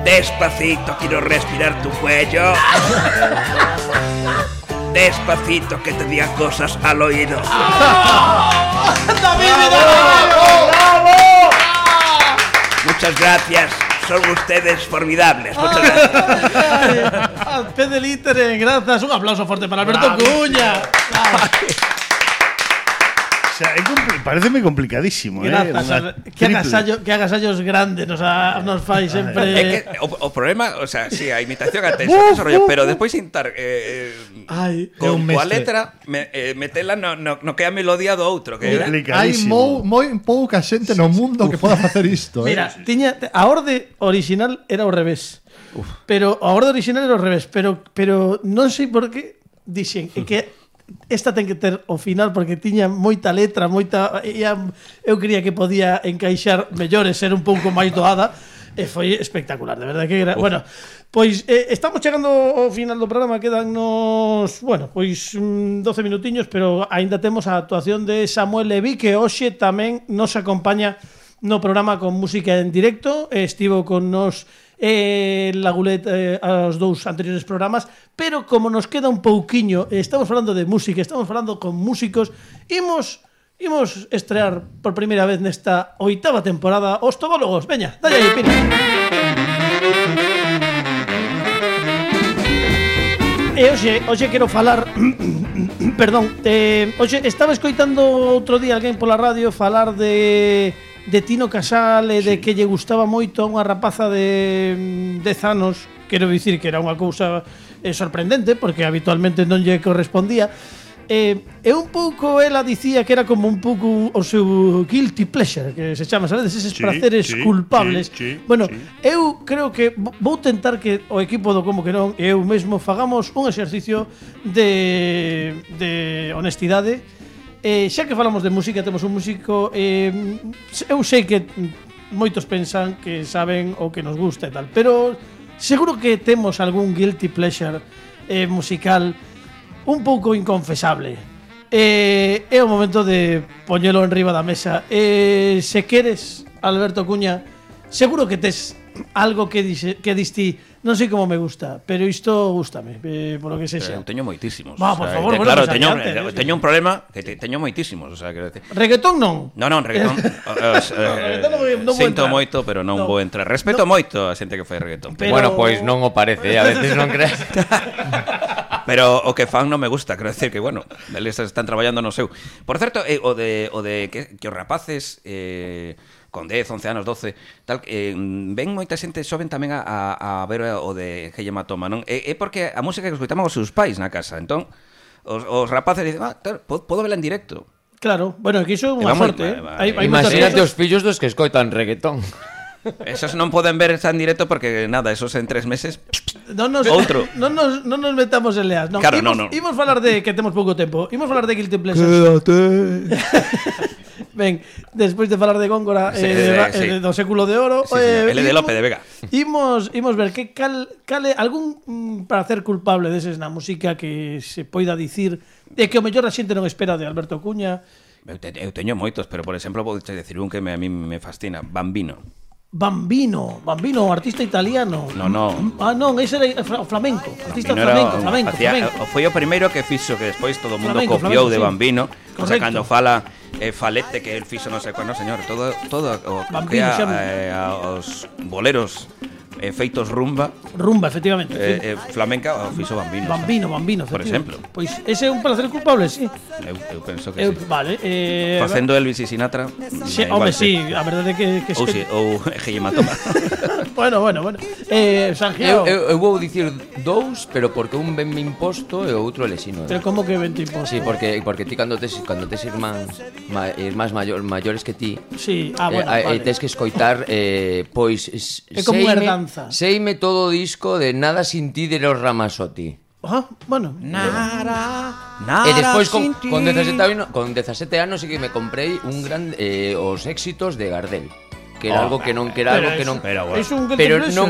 Despacito, quiero respirar tu cuello. Despacito, que te diga cosas al oído. ¡David Muchas gracias. Son ustedes formidables. Muchas gracias. Pede litere, gracias. Un aplauso fuerte para Alberto Cuña. O sea, pareceme complicadísimo, Grazas, que agasallos grandes nos fai sempre. É que o problema, o sea, si a imitación até ese rollo, pero despois intentar con coa letra metela no que a melodía do outro, que hai moi pouca xente no mundo que poda facer isto. Mira, tiña a orde original era ao revés. Pero a orde original era ao revés, pero non sei por que dixen que esta ten que ter o final porque tiña moita letra, eu creía que podía encaixar mellor e ser un pouco máis doada e foi espectacular, de verdade que era. Bueno, pois estamos chegando ao final do programa, quedannos, bueno, pois 12 minutiños, pero aínda temos a actuación de Samuel Leví, que hoxe tamén nos acompaña no programa con música en directo. Estivo con nos la Gulet aos dous anteriores programas, pero como nos queda un pouquiño, estamos falando de música, estamos falando con músicos, imos estrear por primeira vez nesta 8ª temporada Os Tobólogos. Veña, dalle aí, Pina. E hoxe quero falar perdón, hoxe estaba escoitando outro día alguén pola radio falar de Tino Casal e de que lle gustaba moito a unha rapaza de 10 anos. Quero dicir que era unha cousa sorprendente, porque habitualmente non lle correspondía. E un pouco ela dicía que era como un pouco o seu guilty pleasure, que se chama, sabedes, eses praceres culpables. Bueno, eu creo que vou tentar que o equipo do Como que Non e eu mesmo fagamos un exercicio de honestidade Xa que falamos de música, temos un músico eu sei que moitos pensan que saben o que nos gusta e tal, pero seguro que temos algún guilty pleasure musical un pouco inconfesable. É o momento de poñelo enriba da mesa. Se queres, Alberto Cuña, seguro que tes algo que diste, non sei como me gusta, pero isto gústame, por lo que sexa. Teño moitísimos. Va, por favor, claro, teño un problema que teño moitísimos, o sea, quero decir. Reggaetón non? Non, reggaetón. Sinto moito, pero non vou entrar. Respeto moito a xente que fai reggaetón. Bueno, pois non o parece, a veces non crees. Pero o que fan non me gusta, quero decir que, bueno, eles están traballando no seu. Por certo, o de que os rapaces con 10, 11 anos, 12, tal, ven moita xente xoven tamén a ver o de Heye Matoma, non? É porque a música que escoitamos os seus pais na casa, entón os rapaces dicen, claro, podo vela en directo. Claro, bueno, que iso é unha sorte, Imagínate os fillos dos que escoitan reggaetón. Esos non poden ver en directo porque, nada, esos en 3 meses outro. Non nos metamos en leas. Claro, imos falar de que temos pouco tempo. Imos falar de Guilty Pleasures. Quédate. Ben, despois de falar de Góngora do século de oro, L de Lope de Vega. Imos ver que cale algún prazer culpable deses na música que se poida dicir de que o mellor a xente non espera de Alberto Cuña. Eu teño moitos, pero por exemplo vou decir un que a mí me fascina, Bambino, artista italiano. Non. Ah, non, ese era flamenco. Artista flamenco. Foi o primeiro que fixo, que despois todo o mundo copiou de Bambino. O sea, cando fala Falete, que el fixo non sei cuándo, señor, todo o que os boleros feitos rumba, efectivamente. Flamenca o fixo Bambino. Bambino, por exemplo. Pois ese é un placer culpable, sí. Eu penso que sí. Vale. Facendo Elvis e Sinatra. Home, sí, a verdade que ou Heye Matoma. Bueno. Sanjeo. Eu vou dicir dous, pero porque un ben me imposto e o outro elexino. Pero como que ben te imposto? Sí, porque ti cando tes irmáns maiores que ti, sí, vale. tes que escoitar, pois é como unha herdanza. Seime todo o disco de Nada sin ti de los Ramazzotti. Bueno. E despois con 17 anos sí que me comprei un gran os éxitos de Gardel, que era algo que non pero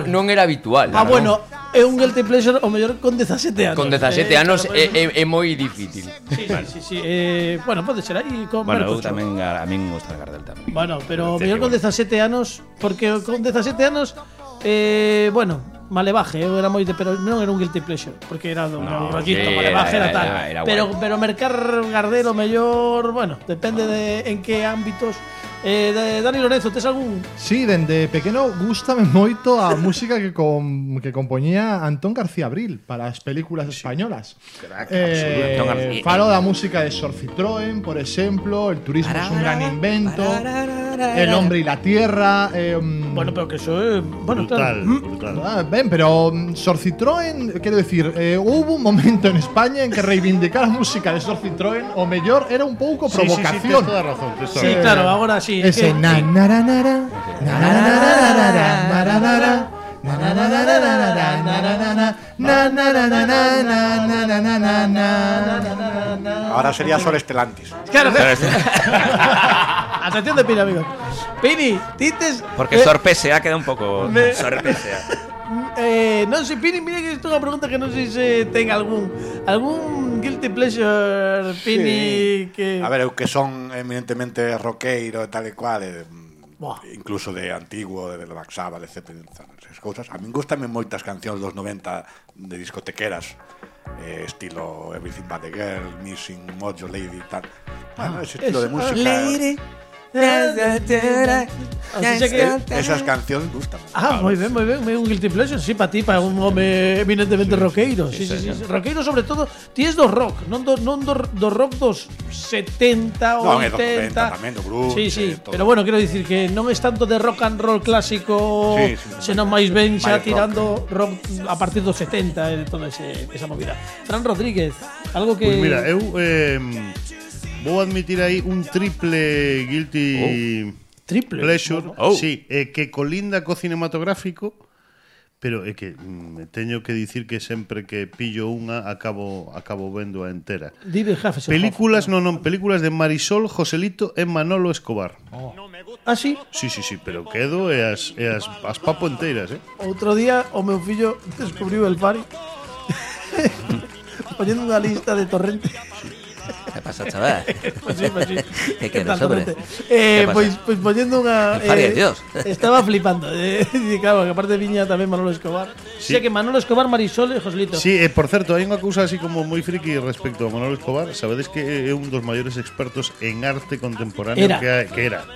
non era habitual. Bueno, é un guilty pleasure o mellor con 17 anos. Con 17 anos é moi difícil. Sí. Bueno, pode ser aí con eu tamén a min me gusta Gardel tamén. Bueno, pero mellor con 17 anos, porque con 17 anos bueno, Malevaje, eu era moi pero non era un guilty pleasure, porque era un rollito, Malevaje era tal. Pero mercar Gardel o mellor, bueno, depende de en que ámbitos. Dani Lorenzo, tes algún? Sí, dende pequeno gústame moito a música que compoñía Antón García Abril para as películas españolas. Falo da música de Sor Citroën, por exemplo, El turismo es un gran invento, El hombre y la tierra. Bueno, pero que eso é brutal. Ben, pero Sor Citroën, quero decir, hubo un momento en España en que reivindicar a música de Sor Citroën o mellor era un pouco provocación. Sí, tens toda a razón. Sí, claro, agora sí. Ese ahora sería Sol Estelantis. Claro. Atención de Pini, amigos. Pini, tites. Porque Sorpesea queda un pouco Sorpesea. Non sei, Pini, mira que isto é unha pregunta que non sei se ten algún guilty pleasure, Pini, que... A ver, eu que son eminentemente roqueiro e tal e cual, incluso de antiguo, de Black Sabbath, etc. Esas cousas. A min gustame moitas cancións dos 90 de discotequeras, estilo Everything But The Girl, Missing Mojo Lady e tal. Bueno, ese estilo de música... Lady. Esas cancións gustan. Moi ben, un guilty pleasure, sí, para ti, para un home eminentemente roqueiro. Sí. Roqueiro sobre todo, ti es do rock, non do rock dos 70 ou 80. Tamén do blues. Sí, pero bueno, quero dicir que non es tanto de rock and roll clásico, senón máis ben xa tirando rock a partir dos 70 e toda esa movida. Fran Rodríguez, algo que... Pues mira, eu vou admitir aí un triple guilty pleasure, sí, que colinda co cinematográfico, Pero é que teño que dicir que sempre que pillo unha acabo vendo a entera. Películas, películas de Marisol, Joselito e Manolo Escobar. Ah, sí? Sí, pero quedo e as papo enteiras, Outro día o meu fillo descubriu el Fari poñendo unha lista de torrente. ¿Qué pasa, chaval? Pues sí. ¿Qué quieres, hombre? Pues poniendo unha... Dios. Estaba flipando. Claro, que aparte viña tamén Manolo Escobar. Sí. Sé que Manolo Escobar, Marisol e Joselito. Sí, por certo, hai unha cousa así como moi friki respecto a Manolo Escobar. Sabedes que é un dos maiores expertos en arte contemporáneo que era.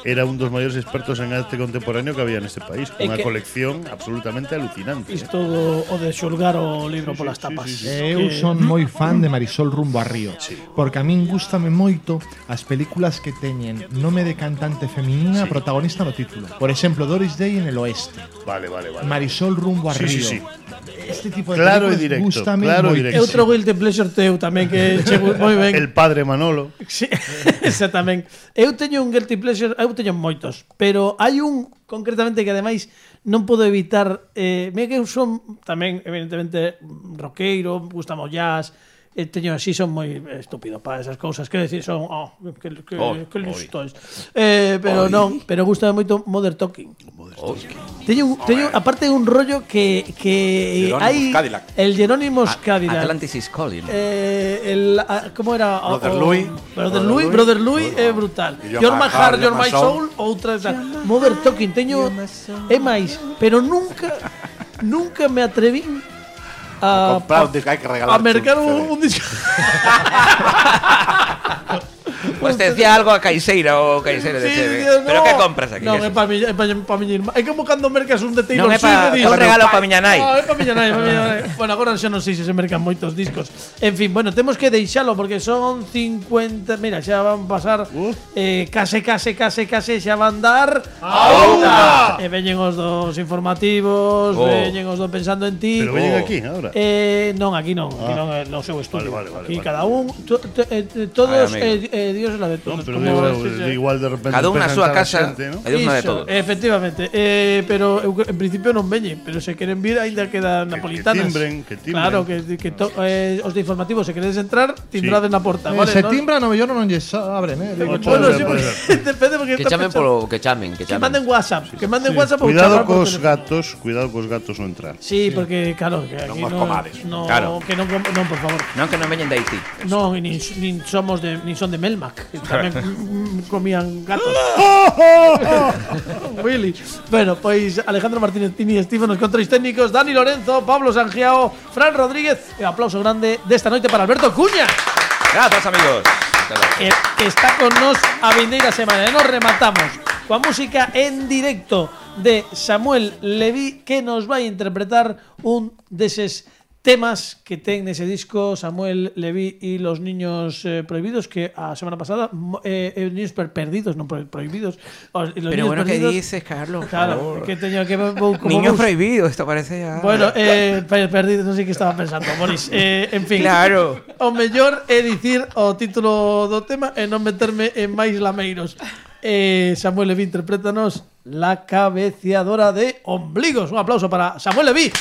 Era un dos maiores expertos en arte contemporáneo que había neste país. Unha colección absolutamente alucinante. Isto o de xulgar o libro polas tapas. Eu son moi fan de Marisol rumbo a Río. Sí. Porque a min gústame moito as películas que teñen nome de cantante feminina protagonista no título. Por exemplo, Doris Day en el Oeste. Vale. Marisol rumbo a Río. Sí. Este tipo de claro películas gústame moito. Eu trogo el de pleasure teu tamén que chego moi ben. El padre Manolo. Sí, exactamente. Eu teño un guilty pleasure, eu teño moitos, pero hai un concretamente que ademais non podo evitar, mira que eu son tamén evidentemente roqueiro, gustamos jazz, teño así, son moi estúpido para esas cousas, quero decir, son que listos. Pero non, pero gustame moito Modern Talking. Teño aparte un rollo que hai el Jerónimos Cadillac. Atlantis is calling. Como era? Brother Louis é brutal. You're my heart, you're my soul, outra Modern Talking. Teño é máis, pero nunca me atreví a comprar un disco, hay que regalar. A mercar un disco. Pues te decía algo a Caiseira o Caiseira de Cheve. ¿Pero qué compras aquí? Non, é para miña irmá. É como cando mercas un de Taylor Swift. Non é un regalo para miña nai. É para miña nai. Bueno, agora xa non sei se mercan moitos discos. En fin, bueno, temos que deixalo porque son 50... Mira, xa van pasar case xa van dar a unha. E veñen os dos informativos, veñen os dos pensando en ti. Pero veñen aquí, agora? Non, aquí non. Aquí non é no seu estudio. Aquí cada un... Todos... Dios es la de todos. No, pero igual de repente cada unha a súa casa, ¿no? E Dios na de todos. Efectivamente. Pero eu, en principio non veñen, pero se queren vir aínda quedan napolitanas. Que timbren. Claro, que os de informativos, se queredes entrar, timbrades na porta, vale? Se timbran, no mellor non lles abren, Bueno, depende porque que chamen polo que chamen. Que manden WhatsApp, cuidado cos gatos non entrar. Sí, porque claro, que aquí non que non, por favor. Non que non veñen de Haití. Non, nin son de Melmac, que tamén comían gatos. Willy. Bueno, pois Alejandro Martínez Pini, Steve nos controles técnicos, Dani Lorenzo, Pablo Sangiao, Fran Rodríguez e aplauso grande desta noite para Alberto Cuña. Gracias, amigos. Que está con nos a vindeira semana. E nos rematamos coa música en directo de Samuel Leví, que nos vai interpretar un deses temas que ten nese disco Samuel Leví y los niños prohibidos, que a semana pasada niños perdidos, non prohibidos. Pero bueno, ¿qué dices, Carlos? Claro, que teño que niños prohibidos, esto parece ya. Bueno, perdidos, non sei que estaba pensando, Boris. En fin. Claro. O mellor é dicir o título do tema e non meterme en máis lameiros. Samuel Leví, interprétanos La cabeceadora de ombligos. Un aplauso para Samuel Leví.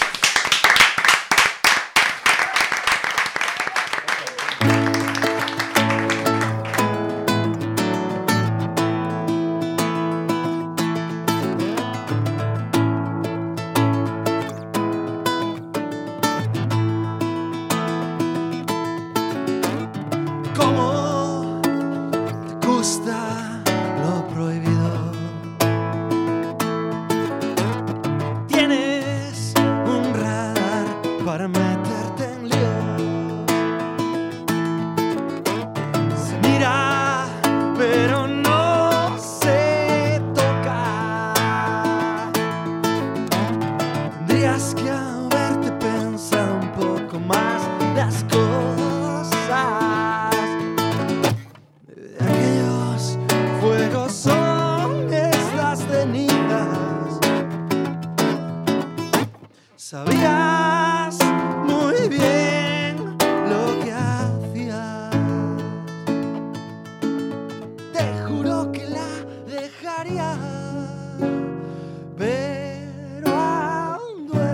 Pero aún duele.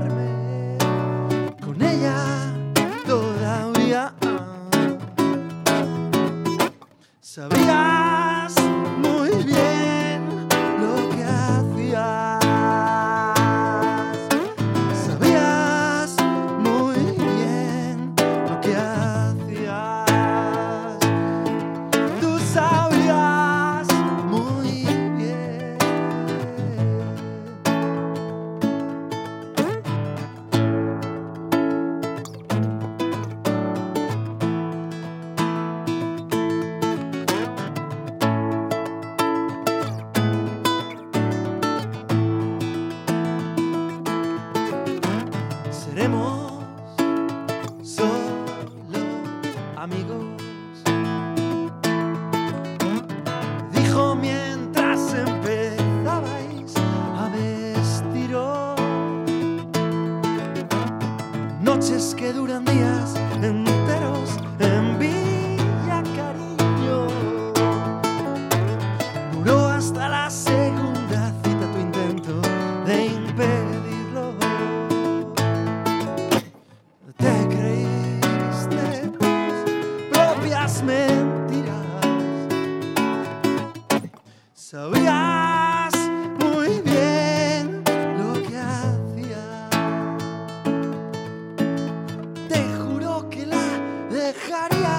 amigos. Dijo mientras empezabais a vestiros, noches que duran días enteros en Villa Cariño. Duró hasta la segunda cita tu intento de impedirlo. Te creíste tus propias mentiras. Sabías muy bien lo que hacías. Te juró que la dejaría,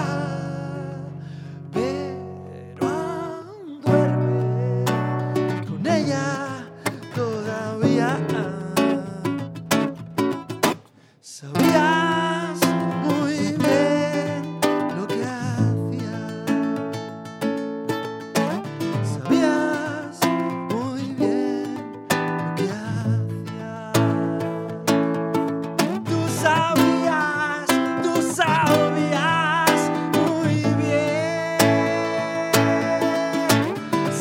pero aún duerme con ella todavía. Sabías muy bien lo que hacías. Sabías muy bien lo que hacías. Tú sabías muy bien.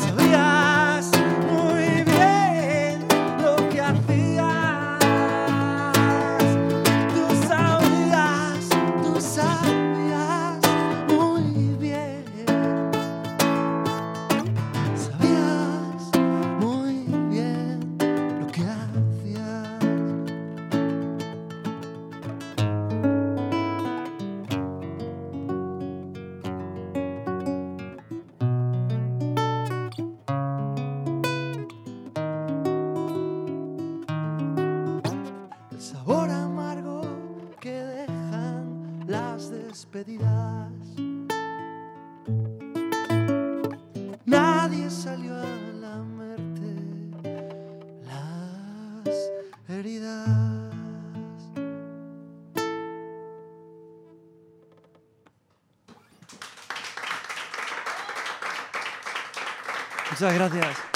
Sabías muy bien lo que hacías. Tú sabías muy bien. Sabías muy bien lo que hacías. El sabor amargo que dejan las despedidas. Nadie salió a lamerte las heridas. Muchas gracias.